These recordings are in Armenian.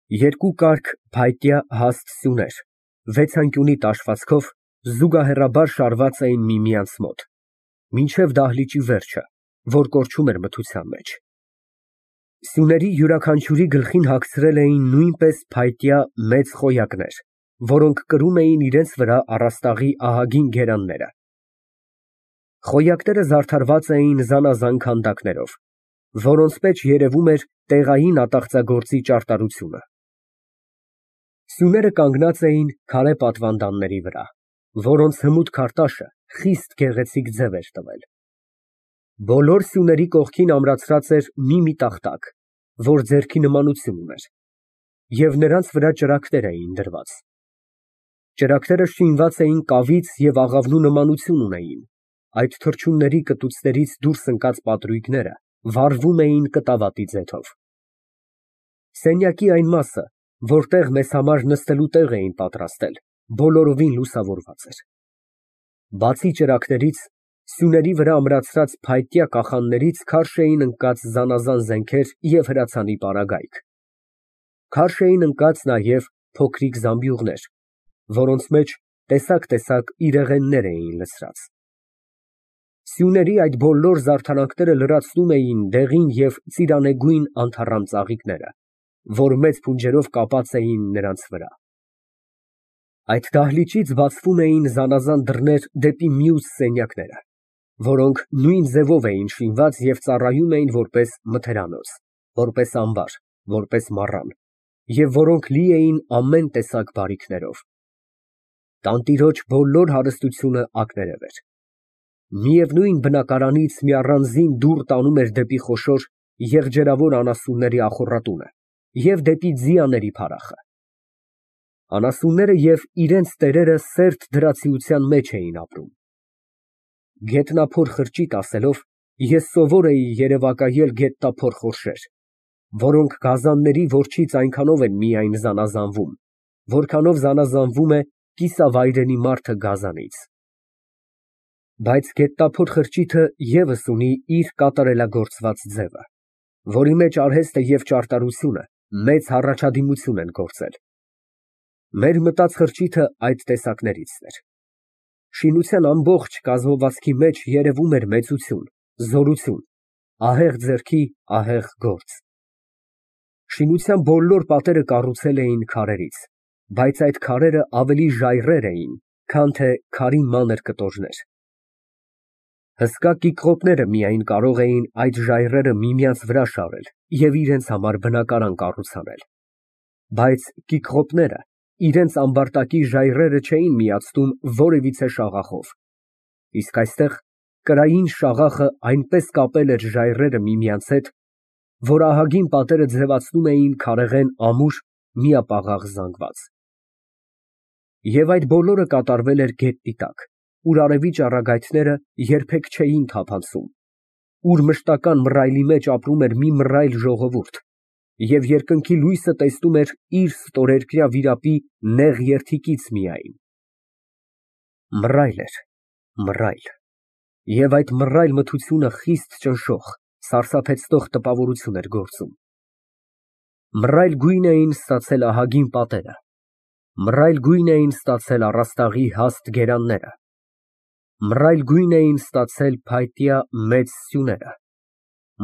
Երկու կարգ փայտյա հաստ սյուներ, վեցանկյունի տաշվածքով, զուգահեռաբար շարված էին միմյանց մոտ, մինչև դահլիճի վերջը, որ կորչում էր մթության մեջ։ Սյուների յուրաքանչյուրի գլխին հագցրել էին նույնպես փայտյա մեծ խոյակներ, որոնք կրում էին իրենց վրա առաստաղի ահագին գերանները։ Խոյակները զարդարված էին զանազան քանդակներով, որոնց մեջ երևում էր տեղային ատաղծագործի ճարտարությունը։ Սյուները կանգնած էին քարե պատվանդանների վրա, որոնց հմուտ քարտաշը խիստ գեղեցիկ ձև էր տվել։ Բոլոր սյուների կողքին ամրացրած էր մի տախտակ, որ ձեռքի նմանություն ուներ, և նրանց վրա ճրագներ էին դրված։ Ճրագները շինված էին կավից և աղավնու նմանություն ունեին, այդ թռչունների կտուցներից դուրս ընկած պատրույգները վառվում էին կտավատի ձեթով։ Սենյակի այն մասը, որտեղ մեզ համար նստելու տեղ էին պատրաստել, բոլորովին լուսավորված էր։ Բացի ճրագներից, սյուների վրա ամրացրած փայտյա կախաններից քարշ էին ընկած զանազան զենքեր և հրացանի պարագայք։ Քարշ էին ընկած նաև փոքրիկ զամբյուղներ, որոնց մեջ տեսակ իրեղեններ էին լցրած։ Սյուների այդ բոլոր զարդարանքները լրացնում էին դեղին և ծիրանեգույն անթառամ ծաղիկները, որ մեծ փունջերով կապած էին նրանց վրա։ Այդ դահլիճից բացվում էին զանազան դռներ դեպի մյուս սենյակները, որոնք նույն ձևով էին շինված և ծառայում էին որպես մթերանոց, որպես ամբար, որպես մառան, և որոնք լի էին ամեն տեսակ բարիքներով։ Տանտիրոջ բոլոր հարստությունը ակներև էր։ Միևնույն բնակարանից մի առանձին դուռ տանում էր դեպի խոշոր եղջերավոր անասունների ախոռատունը և դեպի ձիաների փարախը։ Անասունները և իրենց տերերը սերտ դրացիության մեջ էին ապրում։ Գետնափոր խրճիթ ասելով, ես սովոր էի երևակայել գետնափոր խորշեր, որոնք գազանների որջից այնքանով են միայն զանազանվում, որքանով զանազանվում է կիսավայրենի մարդը գազանից։ Բայց գետնափոր խրճիթը ևս ունի իր կատարելագործված ձևը, որի մեջ արհեստը և ճարտարությունը մեծ հառաջադիմություն են գործել։ Մեր մտած խրճիթը այդ տեսակներից էր։ Շինության ամբողջ կազմվածքի մեջ երևում էր մեծություն, զորություն, ահեղ ձեռքի ահեղ գործ։ Շինության բոլոր պատերը կառուցել էին քարերից, բայց այդ քարերը ավելի ժայռեր էին, քան թե քարի մանր կտորներ։ Հսկա կիքղոտները միայն կարող էին այդ ժայռերը միմյանց վրա շարել և իրենց համար բնակարան կառուցանել, բայց կիքղոտները իրենց ամբարտակի ժայռերը չէին միացնում որևիցե շաղախով, իսկ այստեղ կրային շաղախը այնպես կապել էր ժայռերը միմյանց հետ, որ ահագին պատերը ձևացնում էին քարեղեն ամուր միապաղաղ զանգված։ Եվ այդ բոլորը կատարվել էր գետնի տակ, ուր արևի ճառագայթները երբեք չէին թափանցում, ուր մշտական մռայլի մեջ ապրում էր մի մռայլ ժողովուրդ, և երկնքի լույսը տեսնում էր իր ստորերկրյա վիրապի նեղ երդիքից միայն։ Մռայլ էր, մռայլ, և այդ մռայլ մթությունը խիստ ճնշող, սարսափեցնող տպավորություն էր գործում։ Մռայլ գույն էին ստացել ահագին պատերը, մռայլ գույն էին ստացել առաստաղի հաստ գերանները, մռայլ գույն էին ստացել փայտյա մեծ սյուները,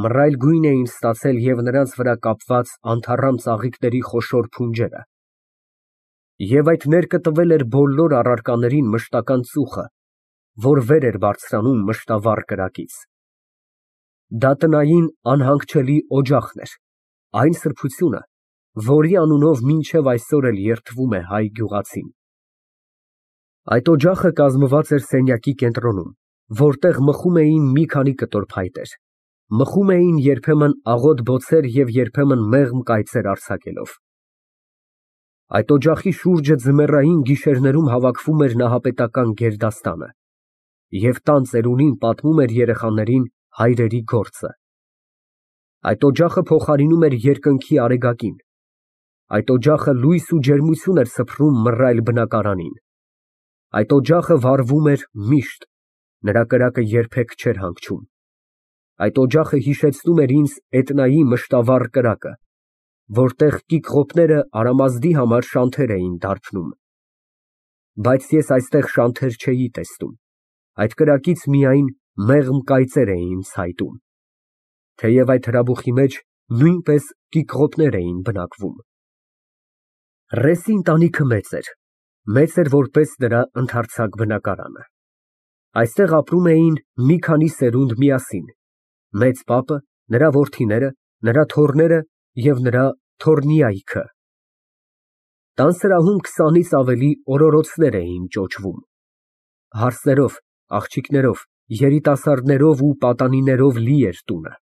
մռայլ գույն էին ստացել և նրանց վրա կապված անթառամ ծաղիկների խոշոր փունջերը, և այդ ներկը տվել էր բոլոր առարկաներին մշտական ծուխը, որ վեր էր բարձրանում մշտավառ կրակից։ Դա տնային անհանգչելի օջախն էր, այն սրբությունը, որի անունով մինչև այսօր էլ երդվում է հայ գյուղացին։ Այդ օջախը կազմված էր սենյակի կենտրոնում, որտեղ մխում էին մի քանի կտոր փայտեր, մխում էին երբեմն աղոտ բոցեր և երբեմն մեղմ կայծեր արձակելով։ Այդ օջախի շուրջը ձմեռային գիշերներում հավաքվում էր նահապետական գերդաստանը, և տան ծերունին պատմում էր երեխաներին հայրերի գործը։ Այդ օջախը փոխարինում էր երկնքի արեգակին, այդ օջախը լույս ու ջերմություն էր սփռում մռայլ բնակարանին, այդ օջախը վառվում էր միշտ, նրա կրակը երբեք չէր հանգչում, այդ օջախը հիշեցնում էր ինձ էտնայի մշտավառ կրակը, որտեղ կիկղոպները Արամազդի համար շանթեր էին դարբնում։ Բայց ես այստեղ շանթեր չէի տեսնում, այդ կրակից միայն մեղմ կայծեր էին ցայտում, թեև այդ հրաբուխի մեջ նույնպես կիկղոպներ էին բնակվում։ Ռեսի ընտանիքը մեծ էր որպես նրա ընդարձակ բնակարանը։ Այստեղ ապրում էին մի քանի սերունդ միասին, մեծ պապը, նրա որդիները, նրա թոռները և նրա թոռնիայքը։ Տան սրահում 20-ից ավելի օրորոցներ էին ճոճվում։ Հարսներով, աղջիկներով, երիտասարդներով ու պատանիներով լի էր տունը։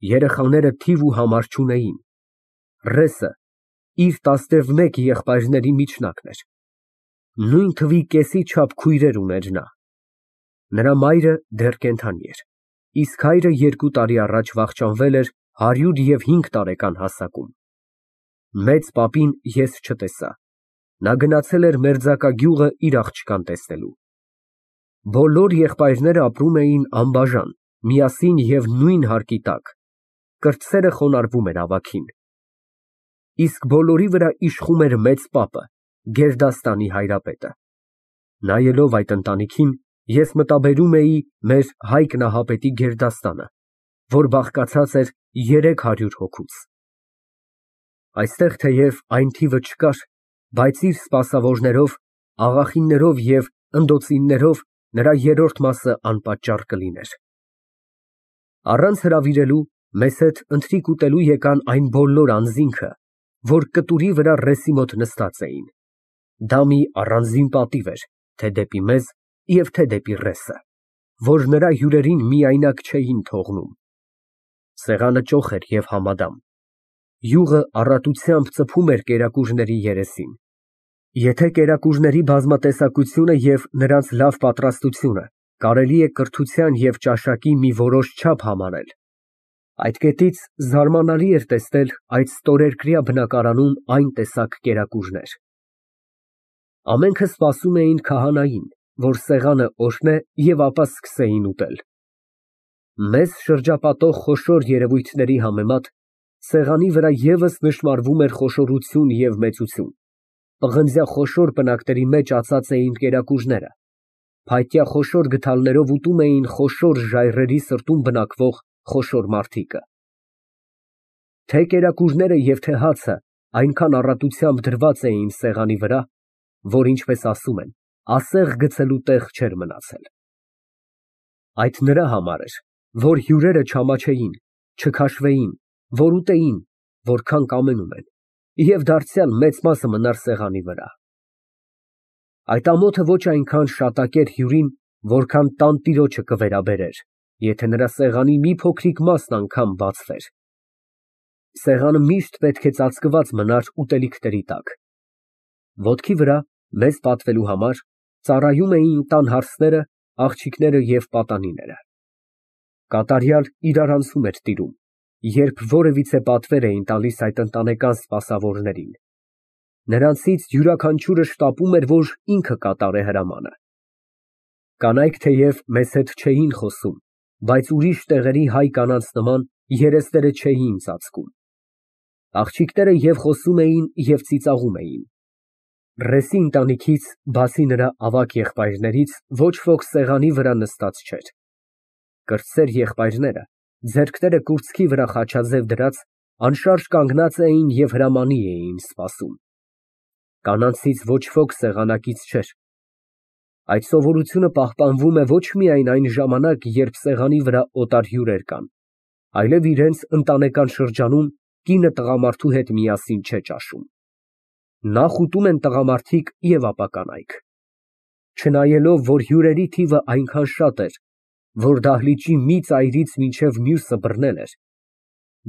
Երեխաները թիվ ու համար չունեին։ Ռեսը իր 11 եղբայրների միջնակն էր։ Նույն թվի կեսի չափ քույրեր ուներ նա։ Նրա մայրը դեռ կենդանի էր, իսկ հայրը 2 տարի առաջ վախճանվել էր 105 տարեկան հասակում։ Մեծ պապին ես չտեսա, նա գնացել էր մերձակա գյուղը իր աղջկան տեսնելու։ Բոլոր եղբայրները ապրում էին անբաժան, միասին և նույն հարկի տակ, կրտսերը խոնարհվում էր ավագին։ Իսկ բոլորի վրա իշխում էր մեծ պապը, գերդաստանի հայրապետը։ Նայելով այդ ընտանիքին, ես մտաբերում էի մեր Հայկ Նահապետի գերդաստանը, որ բաղկացած էր 300 հոգուց։ Այստեղ թեև այն թիվը չկար, բայց իր սպասավորներով, աղախիններով և ընդոցիններով նրա երրորդ մասը անպատճառ կլիներ։ Առանց հրավիրելու մեզ հետ ընթրիք ուտելու եկան այն բոլոր անձինքը, որ կտուրի վրա ռեսի մոտ նստած էին։ Դա մի առանձին պատիվ էր, թե դեպի մեզ և թե դեպի ռեսը, որ նրա հյուրերին միայնակ չէին թողնում։ Սեղանը ճոխ էր և համադամ։ Յուղը առատությամբ ծփում էր կերակուրների երեսին։ Եթե կերակուրների բազմատեսակությունը և նրանց լավ պատրաստությունը կարելի է կրթության և ճաշակի մի որոշ չափ համարել, այդ կետից զարմանալի էր տեսնել այդ ստորերկրյա բնակարանում այն տեսակ կերակուրներ։ Ամենքը սպասում էին քահանային, որ սեղանը օրհնե և ապա սկսեին ուտել։ Մեզ շրջապատող խոշոր երևույթների համեմատ սեղանի վրա ևս նշմարվում էր խոշորություն և մեծություն։ Պղնձյա խոշոր պնակների մեջ ածած էին կերակուրները, փայտյա խոշոր գդալներով ուտում էին խոշոր ժայռերի սրտում բնակվող խոշոր մարդիկը։ Թե կերակուրները և թե հացը այնքան առատությամբ դրված էին սեղանի վրա, որ, ինչպես ասում են, ասեղ գցելու տեղ չէր մնացել։ Այդ նրա համար էր, որ հյուրերը չամաչեին, չքաշվեին, որ ուտեին, որքան կամենում են, և դարձյալ մեծ մասը մնար սեղանի վրա։ Այդ ամոթը ոչ այնքան շատակեր հյուրին, որքան տանտիրոջը կվերաբերեր, եթե նրա սեղանի մի փոքրիկ մասն անգամ բացվեր։ Սեղանը միշտ պետք է ծածկված մնար ուտելիքների տակ։ Ոտքի վրա, մեզ պատվելու համար, ծառայում էին տան հարսները, աղջիկները և պատանիները։ Կատարյալ իրարանցում էր տիրում, երբ որևիցե պատվեր էին տալիս այդ ընտանեկան սպասավորներին։ Նրանցից յուրաքանչյուրը շտապում էր, որ ինքը կատարե հրամանը։ Կանայք թեև մեզ հետ չէին խոսում, բայց ուրիշ տեղերի հայ կանանց նման երեսները չէին ծածկում։ Աղջիկները և խոսում էին, և ծիծաղում էին։ Ռեսի ընտանիքից, բացի նրա ավագ եղբայրներից, ոչ ոք սեղանի վրա նստած չէր։ Կրտսեր եղբայրները, ձեռքները կուրծքի վրա խաչաձև դրած, անշարժ կանգնած էին և հրամանի էին սպասում։ Կանանցից ոչ ոք սեղանակից չէր։ Այդ սովորությունը պահպանվում է ոչ միայն այն ժամանակ, երբ սեղանի վրա օտար հյուրեր կան, այլև իրենց ընտանեկան շրջանում կինը տղամարդու հետ միասին չէ ճաշում։ Նախ ուտում են տղամարդիկ և ապա կանայք։ Չնայելով, որ հյուրերի թիվը այնքան շատ էր, որ դահլիճի մի ծայրից մինչև մյուսը բռնել էր,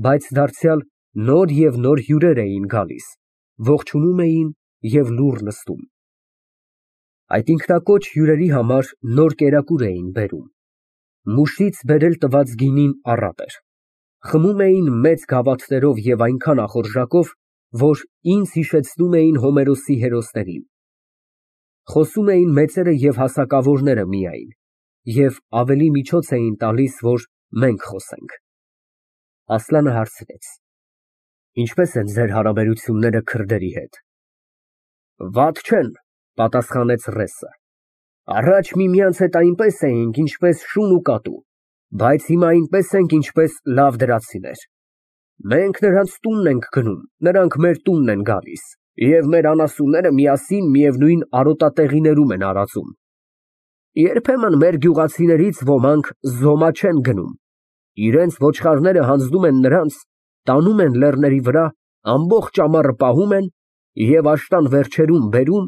բայց դարձյալ նոր և նոր հյուրեր էին գալիս, ողջունում էին և լուռ նստում։ Այդ ինքնակոչ հյուրերի համար նոր կերակուր էին բերում։ Մուշից բերել տված գինին առատ էր։ Խմում էին մեծ գավաթներով և այնքան ախորժակով, որ ինձ հիշեցնում էին Հոմերոսի հերոսներին։ Խոսում էին մեծերը և հասակավորները միայն, և ավելի միջոց էին տալիս, որ մենք խոսենք։ Ասլանը հարցրեց. Ինչպե՞ս են ձեր հարաբերությունները քրդերի հետ։ Վատ չեն, պատասխանեց Ռեսը։ Առաջ միմյանց հետ այնպես էինք, ինչպես շուն ու կատու, բայց հիմա այնպես ենք, ինչպես լավ դրացիներ։ Մենք նրանց տունն ենք գնում, նրանք մեր տունն են գալիս, և մեր անասունները միասին միևնույն արոտատեղիներում են արածում։ Երբեմն մեր գյուղացիներից ոմանք զոմա չեն գնում, իրենց ոչխարները հանձնում են նրանց, տանում են լեռների վրա, ամբողջ ամառը պահում են և աշտան վերջերում բերում,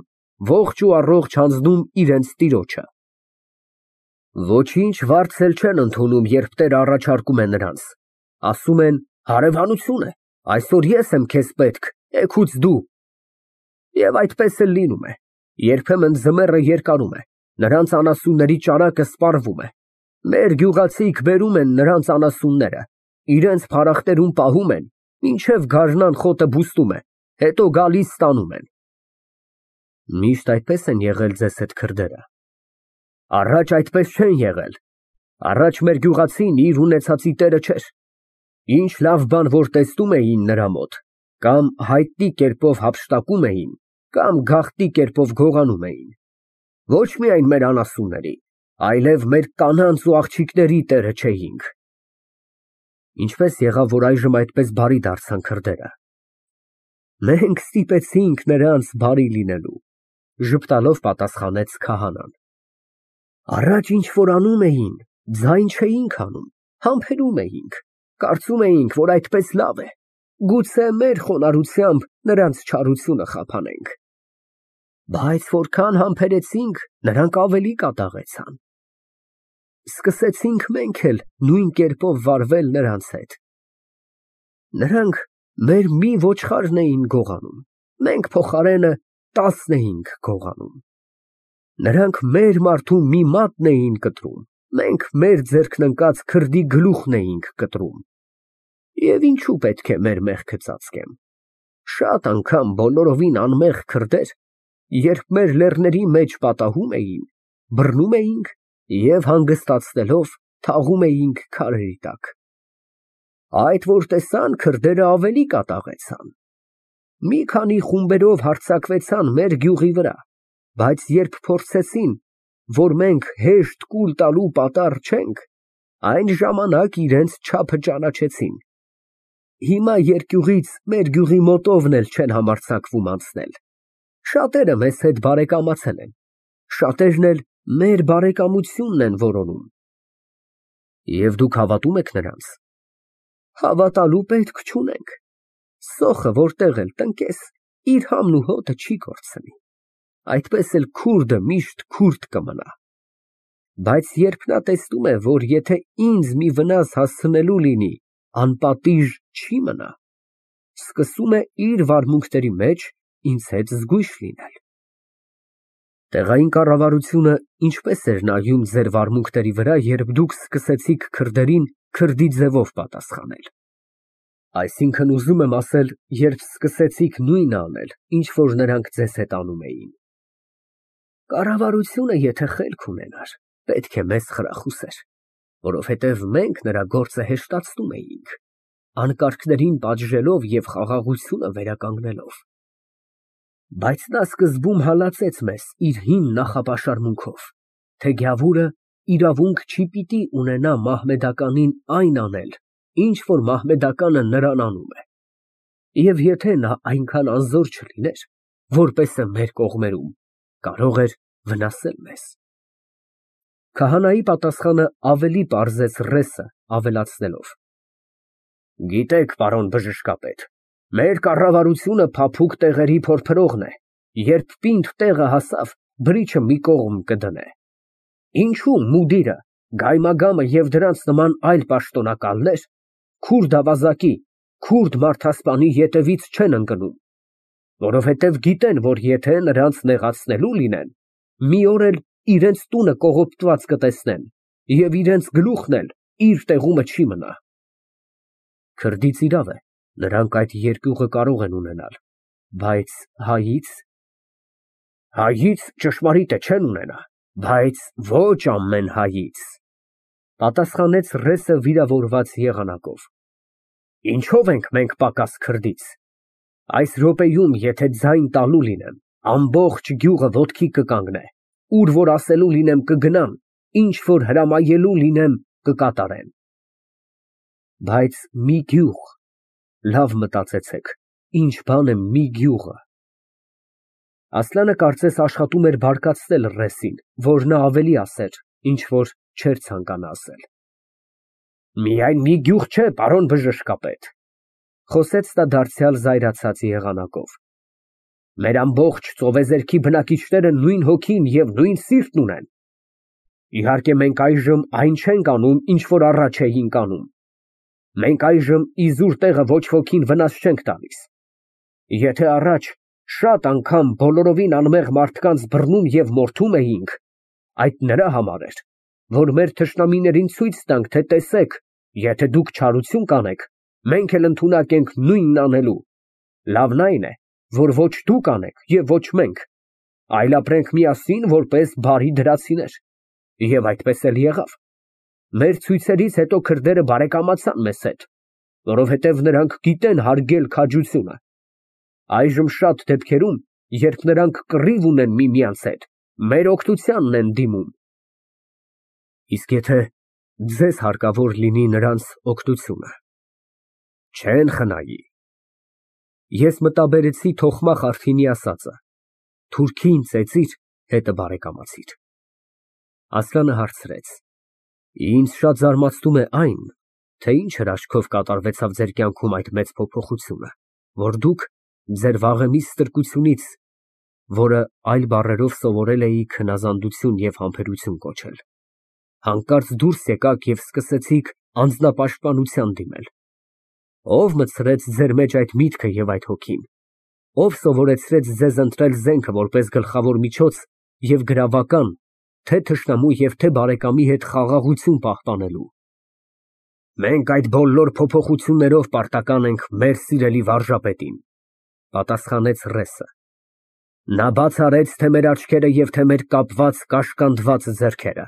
ողջ ու առողջ հանձնում իրենց տիրոջը։ Ոչինչ վարձ էլ չեն ընդունում, երբ տերը առաջարկում է նրանց, ասում են. հարևանություն է, այսօր ես եմ քեզ պետք, էգուց դու։ Եվ այդպես էլ լինում է, երբեմն ձմեռը երկարում է, նրանց անասունների ճարակը սպառվում է, մեր գյուղացիք բերում են նրանց անասունները, իրենց փարախտերում պահում են, մինչև գարնան խոտը բուստում է, հետո գալիս ստանում են։ Միշտ այդպես են եղել ձեզ հետ քրդերը։ Առաջ այդպես չեն եղել, առաջ մեր գյուղացին իր ունեցածի տերը չէր, ինչ լավ բան որ տեսնում էին նրա մոտ, կամ հայտնի կերպով հափշտակում էին, կամ գաղտնի կերպով գողանում էին, ոչ միայն մեր անասունների, այլև մեր կանանց ու աղջիկների տերը չէինք։ Ինչպես եղավ, որ այժմ այդպես բարի դարձան քրդերը։ Մենք ստիպեցինք նրանց բարի լինելու, ժպտալով պատասխանեց քահանան։ Առաջ ինչ որ անում էին, ձայն չէինք անում, համբերում էինք, կարծում էինք, որ այդպես լավ է, գուցե մեր խոնարհությամբ նրանց չարությունը խափանենք։ Բայց որքան համբերեցինք, նրանք ավելի կատաղեցան։ Սկսեցինք մենք էլ նույն կերպով վարվել նրանց հետ։ Նրանք մեր մի ոչխարն էին գողանում, մենք փոխարենը 10 էինք գողանում։ Նրանք մեր մարդու մի մատն էին կտրում, մենք մեր ձեռքն ընկած քրդի գլուխն էինք կտրում։ Եվ ինչու պետք է մեր մեղքը ծածկեմ։ Շատ անգամ բոլորովին անմեղ քրդեր, երբ մեր լեռների մեջ պատահում էին, բռնում էինք և հանգստացնելով թաղում էինք քարերի տակ։ Այդ որ տեսան, քրդերը ավելի կատաղեցան։ Մի քանի խումբերով հարձակվեցան մեր գյուղի վրա, բայց երբ փորձեցին, որ մենք հեշտ կուլ տալու պատառ չենք, այն ժամանակ իրենց չափը ճանաչեցին։ Հիմա երկյուղից մեր գյուղի մոտովն էլ չեն համարձակվում անցնել։ Շատերը մեզ հետ բարեկամացել են, շատերն էլ մեր բարեկամությունն են որոնում։ Եվ դուք հավատում եք նրանց։ Հավատալու պետք չունենք։ Սոխը որտեղ էլ տնկես, իր համն ու հոտը չի կորցնի։ Այդպես էլ քուրդը միշտ քուրդ կմնա։ Բայց երբ նա տեսնում է, որ եթե ինձ մի վնաս հասցնելու լինի, անպատիժ չի մնա, սկսում է իր վարմունքների մեջ ինձ հետ զգույշ լինել։ Տեղային կառավարությունը ինչպես էր նայում ձեր վարմունքների վրա, երբ դուք սկսեցիք քրդերին քրդի ձևով պատասխանել։ Այսինքն ուզում եմ ասել, երբ սկսեցիք նույնը անել, ինչ որ նրանք ձեզ հետ անում էին։ Կառավարությունը եթե խելք ունենար, պետք է մեզ խրախուսեր, որովհետև մենք նրա գործը հեշտացնում էինք, անկարգներին պատժելով և խաղաղությունը վերականգնելով։ Բայց նա սկզբում հալածեց մեզ իր հին նախապաշարմունքով, թե գավուրը իրավունք չի պիտի ունենա մահմեդականին այն անել, ինչ որ մահմեդականը նրան անում է։ Եվ եթե նա այնքան անզոր չլիներ, որպեսը մեր կողմերում, կարող էր վնասել մեզ։ Քահանայի պատասխանը ավելի պարզեց Ռեսը, ավելացնելով. Գիտեք, պարոն բժշկապետ, մեր կառավարությունը փափուկ տեղերի փորփրողն է, երբ պինդ տեղը հասավ, բրիչը մի կողմ կդնե։ Ինչու մուդիրը, գայմագամը և դրանց նման այլ պաշտոնակալներ քուրդ ավազակի, քուրդ մարդասպանի ետևից չեն ընկնում, որովհետև գիտեն, որ եթե նրանց նեղացնելու լինեն, մի օր էլ իրենց տունը կողոպտված կտեսնեն և իրենց գլուխն էլ իր տեղումը չի մնա։ Քրդից իրավ է, նրանք այդ երկյուղը կարող են ունենալ, բայց հայից։ Հայից ճշմարիտ է չեն ունենա, բայց ոչ ամեն հայից, պատասխանեց Ռեսը վիրավորված եղանակով։ Ինչով ենք մենք պակաս քրդից։ Այս րոպեում, եթե ձայն տալու լինեմ, ամբողջ գյուղը ոտքի կկանգնե, ուր որ ասելու լինեմ կգնան, ինչ որ հրամայելու լինեմ կկատարեն։ Բայց մի գյուղ, լավ մտածեցեք, ինչ բան է մի գյուղը։ Ասլանը կարծես աշխատում էր բարկացնել ռեսին, որ նա ավելի ասեր, ինչ որ չէր ցանկանա ասել։ Միայն մի գյուղ չէ, պարոն բժշկապետ, խոսեց նա դարձյալ զայրացած եղանակով։ Մեր ամբողջ ծովեզերքի բնակիչները նույն հոգին և նույն սիրտն ունեն։ Իհարկե մենք այժմ այն չենք անում, ինչ որ առաջ էինք անում։ Մենք այժմ իզուր տեղը ոչ ոքին վնաս չենք տալիս։ Եթե առաջ շատ անգամ բոլորովին անմեղ մարդկանց բռնում և մորթում էինք, այդ նրա համար էր, որ մեր թշնամիներին ցույց տանք, թե տեսեք, եթե դուք չարություն կանեք, մենք էլ ընդունակ ենք նույնն անելու։ Լավն այն է, որ ոչ դուք անեք և ոչ մենք, այլ ապրենք միասին որպես բարի դրացիներ։ Եվ այդպես էլ եղավ։ Մեր ցույցերից հետո քրդերը բարեկամացան մեզ հետ, որովհետև նրանք գիտեն հարգել քաջությունը։ Այժմ շատ դեպքերում, երբ նրանք կռիվ ունեն միմյանց հետ, մեր օգնությանն են դիմում։ Իսկ եթե ձեզ հարկավոր լինի նրանց օգնությունը, չեն խնայի։ Ես մտաբերեցի Թոխմա Խարթինի ասածը. թուրքին ծեծիր, հետը բարեկամացիր։ Ասլանը հարցրեց. Ինձ շատ զարմացնում է այն, թե ինչ հրաշքով կատարվեցավ ձեր կյանքում այդ մեծ փոփոխությունը, որ դուք ձեր վաղեմի ստրկությունից, որը այլ բառերով սովորել էիք հնազանդություն և համբերություն կոչել, հանկարծ դուրս եկաք և սկսեցիք անձնապաշտպանության դիմել։ Ո՞վ մտցրեց ձեր մեջ այդ միտքը և այդ հոգին, ով սովորեցրեց ձեզ ընտրել զենքը որպես գլխավոր միջոց և գրավական, թե թշնամու և թե բարեկամի հետ խաղաղություն պահպանելու։ Մենք այդ բոլոր փոփոխություններով պարտական ենք մեր սիրելի վարժապետին, պատասխանեց ռեսը։ Նա բաց արեց թե մեր աչքերը և թե մեր կապված, կաշկանդված ձեռքերը։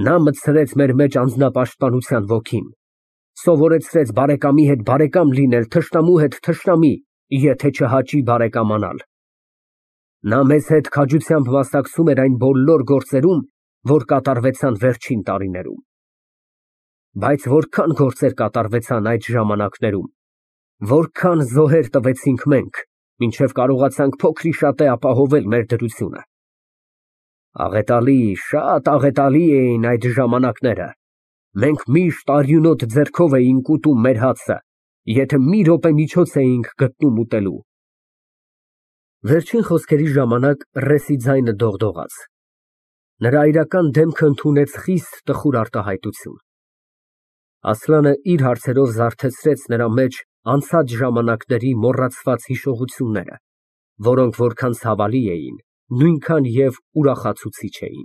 Նա մտցրեց մեր մեջ անձնապաշտպանության ոգին, սովորեցրեց բարեկամի հետ բարեկամ լինել, թշնամու հետ թշնամի, եթե չհաճի բարեկամանալ։ Նա մեզ հետ քաջությամբ մասնակցում էր այն բոլոր գործերում, որ կատարվեցան վերջին տարիներում։ Բայց որքան գործեր կատարվեցան այդ ժամանակներում, որքան զոհեր տվեցինք մենք, մինչև կարողացանք փոքրիշատե ապահովել մեր դրությունը։ Աղետալի, շատ աղետալի էին այդ ժամանակները։ Մենք միշտ արյունոտ ձեռքով էինք ուտում մեր հացը, եթե մի րոպե միջոց էինք գտնում ուտելու։ Վերջին խոսքերի ժամանակ ռեսի ձայնը դողդողաց։ Նրա այրական դեմքը ընդունեց խիստ տխուր արտահայտություն։ Ասլանը իր հարցերով զարթեցրեց նրա մեջ անցած ժամանակների մոռացված հիշողությունները, որոնք որքան ցավալի էին, նույնքան և ուրախացուցիչ էին։